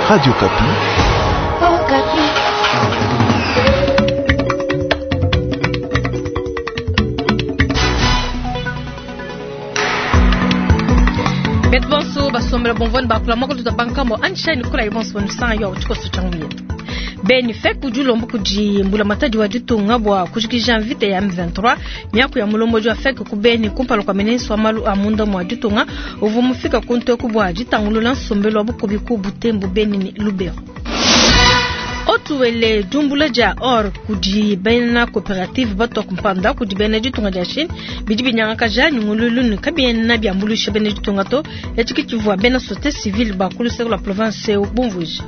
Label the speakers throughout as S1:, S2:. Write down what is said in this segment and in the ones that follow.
S1: Radio Okapi.
S2: Okapi.
S3: Betu bonso basombela bomvone bakula moko tuta bankambo anshani kula ibonso bonusanga yo tshikoso tsha ngumietu. Beni FEC udi ulomba kudi mbulamatadi wa ditunga bua kujikija mvita ya M23 miaku ya mulombodi wa FEC ku Beni kumpala kua ministre wa malu a munda mua ditunga uvua mufika ku nteku bua ditangulula nsombelu wa bukubi ku Butembo, Beni ne Lubero. Haut-Uele diumbula dia or kudi bena coopérative batua kumpanda kudi bena ditunga dia Chine bidi binyangakaja nyungululu ne kabiena biambuluisha bena ditunga to. Etshi ke tshivua bena société civile ba ku luseke lua province eu bumvuija.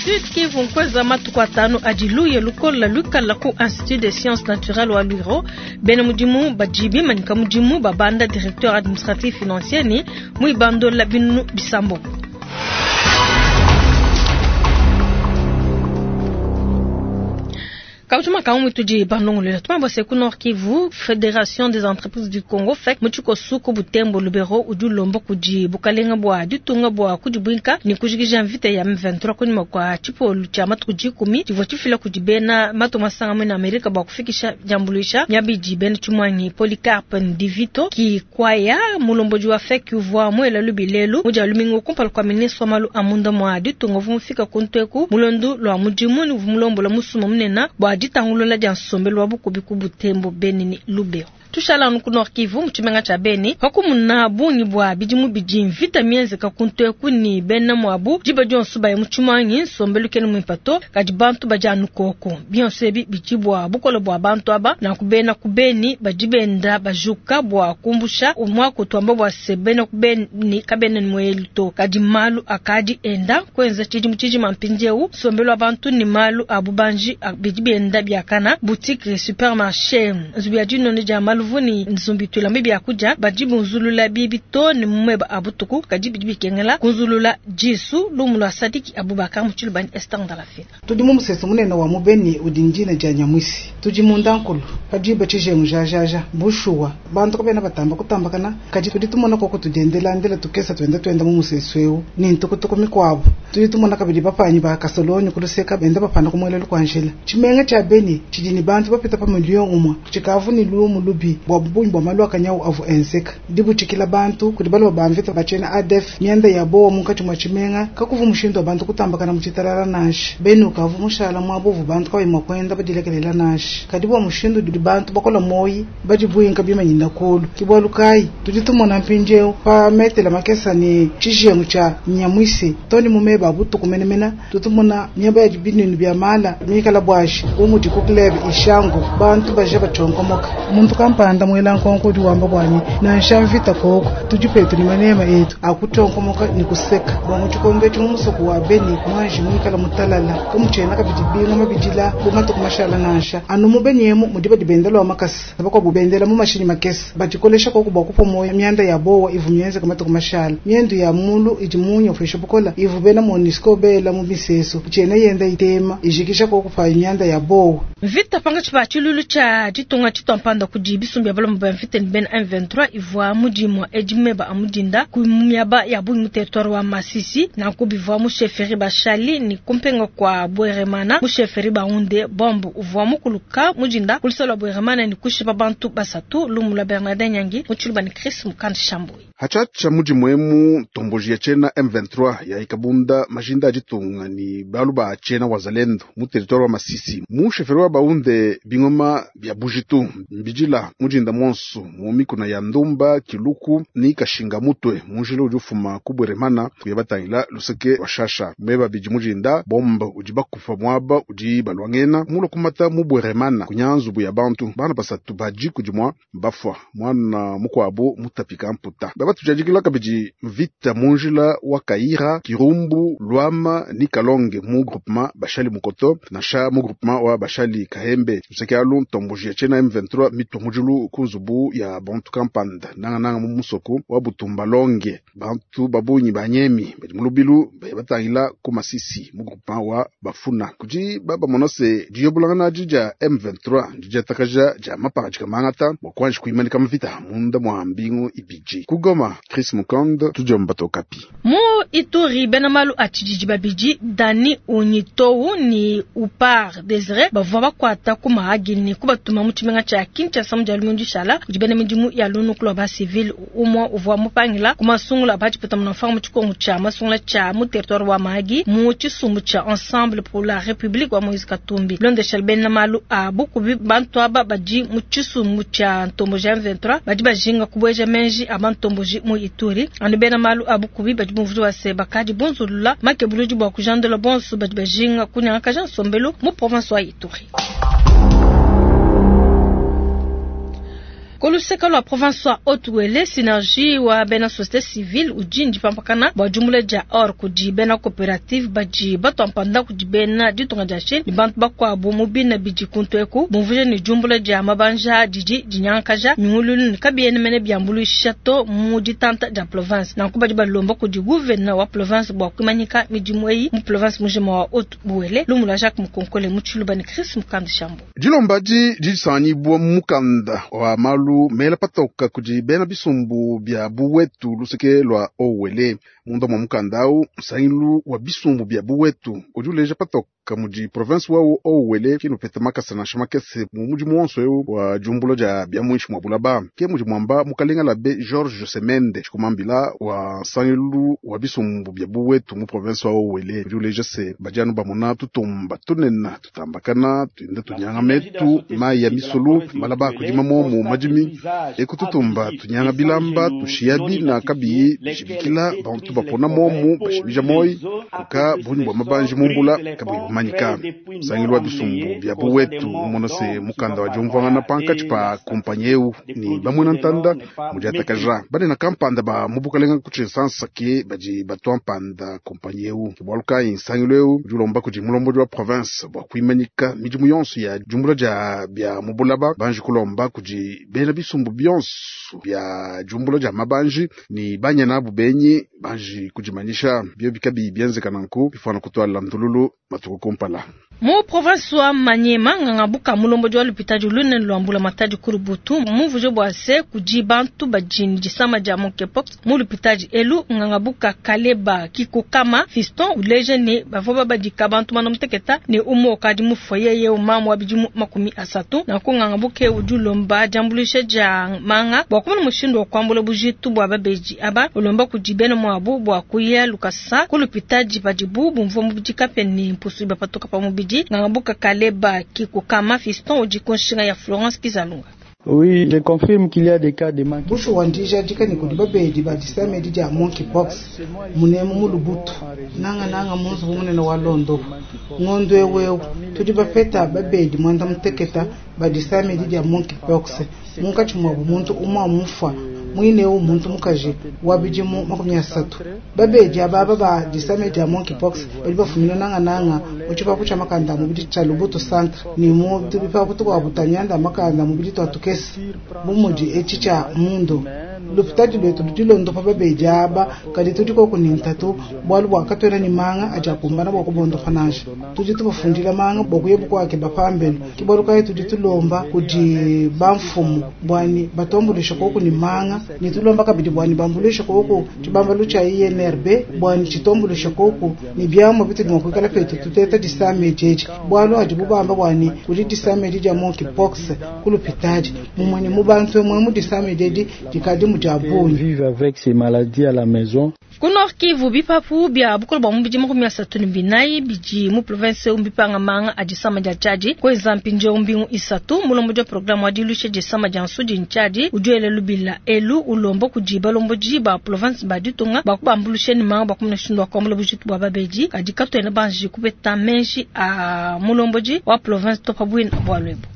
S3: Sud Kivu nkuenza matuku atanu adi luya lukola luikala ku Institut des sciences naturelles wa Lwiro. Bena mudimu badi bimanyika mudimu babanda directeur administratif financier ne muibandola binunu bisambombo. Kautuma kaumwe tudi bandongolola tumambo se ku Nord Kivu, Fédération des entreprises du Congo FEC mu tshikosu ku Butembo Lubero udi ulomba kudi bukalenga bua ditunga bua kudibuinka ne kujikija mvita ya M23 kunyima kua tshipolu tshia matuku dikumi tshivua tshifila kudi bena matunga masanga mena Amerika bua kufikisha diambuluisha miaba idi bena tshimuangi. Polycarpe Ndivito Kikwaya mulombodi wa FEC uvua muela lubi lelu mu dia lumingu kumpala kua ministre wa malu a munda mua ditunga uvua mufika ku nteku mulondo lua mudimu ne uvua mulombola musumba munene bua ditangulula dia nsombelu wa bukubi ku Butembo, Beni ne Lubero. Tushala anu ku Nord Kivu mu tshimenga tshia Beni pakumuna bungi bua bidimu bidi mvita mienzeka ku nteku ne bena muabu diba dionso baya mu tshimuangi nsombelu kena muimpe to, kadi bantu badi anu koko. Bionso ebi bidi bua bukole bua bantu aba nanku bena ku Beni badi benda bajuka bua kumbusha muaku tuamba bua se bena ku Beni kabena ne muelu to, kadi malu akadi enda kuenza tshidimu tshijima mpindieu nsombelu wa bantu ne malu a bubanji bidi bienda biakana boutique supermarché nzubu ya dinone dia maluvu ne nzumbi tulambe biakudia badi bunzulula bibi to ne mumeba a butuku kadi bidi bikengela kunzulula disu lumu lua Sadiki Abubakar mu Tshilubani Esther Ndalafina.
S4: Tudi mu musesu munene wa mubeni udi ndina dia Nyamwisi tudi munda nkulu padiba tshijengu jajaja bushuwa bantu kabena batamba kutambakana kadi tudi tumona koko tudiendelandela tukesa tuenda tuenda mu musesu eu ni ntukutuku mikuabu tudi tumona kabidi bapanyi ba kasoloni kuluseka benda bapanda kumuelelu kua njila tshimenga tshia Beni tshidi ni bantu bapita pa miliyo umwe tshikavu ni lumu lubi bua bungi bua malu akanyau avu enzeka dibutshikila bantu kudi balua ba mvita batshena ADF mianda ya bowa munkatshi mua tshimenga kakuvu mushindu wa bantu kutambakana mu tshitalala nansha Beni ukavu mushala muabuvu bantu kabayi mua kuenda badilekelela nansha kadi bua mushindu udi bantu bakola moyi badi buinka bimanyina kulu ke bualu kayi tudi tumona mpindieu pa metela makesa ne tshijengu tshia Nyamwisi toni mumeba butuku menemene tutumona miaba ya binunu bia mala mikala bwashi bu mudi ku club ishango bantu baje batshonkomoka muntu kampanda muela nkonko udi wamba bwanyi nansha mvita koko tudi petu ni manema etu akutonkomoka ni kuseka bwa mu tshikondo etshi mu musoko wa Beni mwanji muikala mutalala kamutshiena kabidi binga mabidila bu matuku mashala nansha anu mu Beni emu mudi badi bendela wa makasa bakuabu bendela mu mashinyi makese badikolesha koko bua kupua moyo mianda ya bowa ivu mienzeka matuku mashala miendu ya mulu idi munya ufisha bukola ivu bena MONUSCO bela mu misesu tshiena yenda itema ijikisha koko pa mianda ya bowa.
S3: Mvita pangatshi pa tshilulu tshia ditunga tshituampanda kudi bisumbu bia balomba ba mvita ne bena M23 ivua mudimu edi meba a mudinda ku miaba ya bungi mu territoire wa Masisi nanku bivua mu chefferie Bashali ne kumpenga kwa Bweremana mu chefferie Baunde bombe uvua mukuluka mudinda ku lusolo lua Bweremana ne kushipa bantu basatu lumu lua Bernardin Nyangi mu Tshiluba ne Chris Mukand Shambui.
S5: Hatshatsha mudimu emu ntomboji ya tshiena M23 ya ikabunda majinda a ditunga ni balu ba tshiena wazalendo mu territoire wa Masisi mu chefferie wa Baunde bingoma bia bujitu mbijila mudinda monso mu mikuna ya Ndumba Kiluku ni Kashinga mutwe munjila udi ufuma ku Bweremana kuya batangila luseke wa Shasha meba bidi mudinda bombe udi bakufa muaba udi balwangena mulo kumata mu Bweremana kunyanzubu ya bantu bana basatu baji kudimwa bafwa mwana mukwabo mutapika mputa baba tujadikila kabidi mvita munjila wa Kaira Kirumbu Lwama ni Kalonge mu groupement Bashali Mukoto nasha mu groupement wa Bashali Kahembe luseke alu ntomboji ya tshiena M23 mitwa mujulu ku nzubu ya bantu kampanda nanga nanga mu musoko wa Butumba Longe bantu babunyi banyemi badi mu lubilu baye batangila ku Masisi mu groupement wa Bafuna kudi baba monose diyobulangana dija M23 dijatakaja ja mapanga jikamangata bua kuanji kuimanika mvita munda mwa mbingu ibidi ku Goma Chris Mukand tudiomba Okapi.
S3: Mu Ku Ituri, bena malu a tshididi babidi, Dani Onyitou ne Upar Desire, bavua bakuata ku Mahagi ne kubatuma mu tshimenga tshia Kinshasa mu Dia lumingu dishala kudi bena midimu ya lunuku lua ba-civil. Umue uvua mupangila ku masungula a ba-tshipeta-munamfranga mu tshikongu tshia masungula tshia mu territoire wa Mahagi mu tshisumbu tshia Ensemble pour la Republique wa Moïse Katumbi. Bilondeshile bena malu a bukubi, bantu aba badi mu tshisumbu tshia ntomboji M23 badi bajinga kubueja menji a bantomboji mu Ituri. Anu bena malu a bukubi badi bumvuija bua se, bakadi bunzulula makebuludi bua kujandula bonso badi bajinga kunyangakaja nsombelu mu province wa Ituri. Ku luseke lua province wa Haut-Uele, Synergie wa bena societe civile udi ndipampakana bua diumbula dia or kudi bena cooperative badi batua mpanda kudi bena ditunga dia Chine ne bantu bakuabu mu bina bidi kuntu eku, bumvuija ne diumbula dia mabanja didi dinyangakaja nyunguluilu ne kabiena mene biambuluisha to mu ditanta dia province. Nanku badi balomba kudi gouvena wa province bua kuimanyika midimu eyi mu province mujima wa Haut-Uele. Lumu lua Jacques Mukonkole mu Tshiluba ne Chris Mukanda Shambo.
S5: Dilomba adi disanganyibua mu mukanda wa malu mela patoka kudi bena bisumbu bia buwetu luseke lua Haut-Uele. Munda mua mukanda au, nsangilu wa bisumbu bia buwetu udi uleja patoka mudi province wa Haut-Uele kena upeta makasa nansha makese mu mudimu wonso eu wa diumbula dia bia muinshi mua bulaba. Ke mudi muamba mukalenga Labe Georges Semende tshikumambila wa nsangilu wa bisumbu bia buwetu mu province wa Haut-Uele udi uleja se badi anu bamona tutumba tunene tutambakana tuenda tunyanga metu mayi ya misulu malaba kudima momu madimi eku tutumba tunyanga bilamba tushiya bina kabiyi bishibikila bantu bapona momu bashimija moyi kuka bunyi bwa mabanji mumbula kabuyi bumanyika. Nsangilu wa bisumbu bia buwetu mumona se mukanda wa diumvuangana pankatshi pa kompanyi eu ni bamwena ntanda mudiatakaja banena kampanda ba mu bukalenga ku tshinsansa ke badi batua mpanda kompanyi eu. Ke bualu kayi nsangilu eu udi ulomba kudi mulombodi wa province bua kuimanyika midimu yonso ya diumbula dia bia mu bulaba banji kulomba kudi bena bisumbu bionso bia diumbula dia mabanji ni banyana abu benyi banji kudimanyisha bio bikabi bienzeka nanku bifana kutwala ndululu matuku kumpala.
S3: Mu province wa Maniema, nganga buka mulombodi wa lupitadi lunene lwa mbula matadi ku Lubutu mumvuje bua se kudi bantu badi ne disama dia monkeypox mu lupitadi elu. Nganga buka Kaleba Kikokama Fiston uleja ne bavua babadika bantu mana muteketa ne umue ukadi mufue yeye mamu wa bidimu 30. Nanku nganga buke udi ulomba diambuluisha dia manga bua kumona mushindu wa kuambula bujitu bua babedi aba, ulomba kudi bena muabu bua kuya lukasa ku lupitadi padibu bumvua mubidi kape ne mpusu bapatuka pa mubidi. Nganga buka Kaleba Kikokama Fiston udi ku nshinga ya Florence Kizalunga.
S1: Oui, je confirme qu'il y a des cas de manque.
S4: Bushuwa ndijadika ne kudi babedi ba disama edi dia monkeypox munemu mu Lubutu nanga nanga mu nzubu munene wa Londopo ngondo ewewu tudi bapeta babedi mwanda muteketa ba disama edi dia monkeypox munkatshi muabu muntu umwe mufwa mwinewu muntu mukaji wa bidimu 30. Babedi ababa ba disama dia monkeypox badi bafumina nanga nanga mu tshipapu tshia makanda mubidi tshia Lubutu centre ni mu bipapu tukuabu twa mianda makanda mubidi twa tukese bumudi etshi tshia mundo. Lupitadi lwetu ludi londopa babedi aba kadi tudi koku ni ntatu bualu bua katwena ni manga adi akumbana bua kubondopa nansha. Tudi tubafundila manga bua kuya bukuake bapambelu ke bualu kayi tudi tulomba kudi bamfumu buani batombulisha koku ni manga ni tulomba kabidi buani bambulisha koku tshibambalu tshia INRB buani tshitombulisha koku ni biamua bitudi mua kuikala petu tuteta disama edi bualu adi bubamba buani kudi disama edi dia monkeypox ku lupitadi mumue mu bantu emue mu disama edi dikadi mu dia bungi.
S1: Vivre avec ces maladies à la maison.
S3: Ku Nord Kivu bipapu bia bukole bua mubidi 34 bidi mu province umbipanga manga a disama dia tshiadi kweza mpindieu mbingu 3 mulombodi wa programme wa diluisha disama dia nsudi ntshiadi udi wela lubila elu ulomba kudi balombodi ba province ba ditunga bua kubambulusha ne manga bua kumona mushindu wa kuambula bujitu bua babedi kadi katuena banji kupeta menji a mulombodi wa province to pa bwina bualu ebu.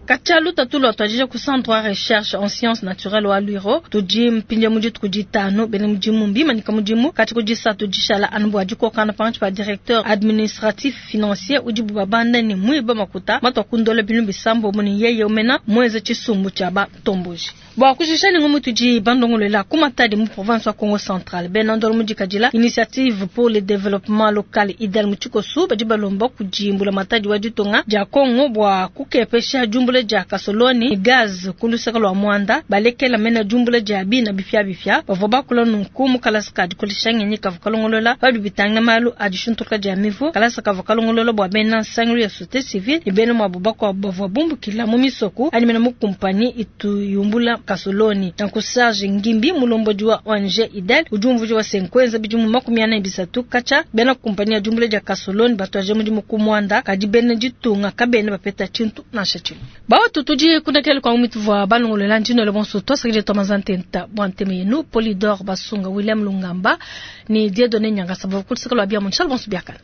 S3: Katia lutatu lwa twajija ku centre wa recherche en sciences naturelles wa Lwiro tudi mpindia mudi tukuditano bene mudimu mbimanyika mudimu kati kudisatu dishala anu bua dikokana pantshi pa directeur administratif financier udi bubabanda ne mwiba makuta matwa kundola binu bisambo muni yeye umena mweze tshisumbu tshia batomboji. Bua kujisha ni ngumu tudi bandongolela ku Matadi mu province wa Congo Central bena ndolo mudikadila initiative pour le développement local idel mu tshikosu badi balomba kudimbula Matadi wa ditunga dia Congo bua kukepesha jumbula diumbula dia kasoloni ne gaz ku luseke lua muanda balekela mena diumbula dia bina bipiabipia. Bavua bakula nunku mu kalasa ka dikolesha ngenyi kavua kalongolola pa bidi bitangila malu a dishintuluka dia mivu. Kalasa kavua kalongolola bua bena nsangilu ya societe civile ne bena muabu bakuabu bavua bumbukila mu misoko anyi mena mu kumpanyi itu yumbula kasoloni. Nanku Serge Ngimbi, mulombodi wa ONG IDEL, udi umvuija bua se nkuenza bidimu 43 katshia bena kumpanyi ya diumbula dia kasoloni batuadija mudimu ku muanda, kadi bena ditunga kabena bapeta tshintu nansha tshimue. Bawatu tudi kundekela kua mituvua balongolola ndinole bonso tuasakidila tua ntenta bua ntema yenu Polydor Basunga William Lungamba ne Dieudonné Nyangasa bavua ku luseke lua bia mu bonso biakana.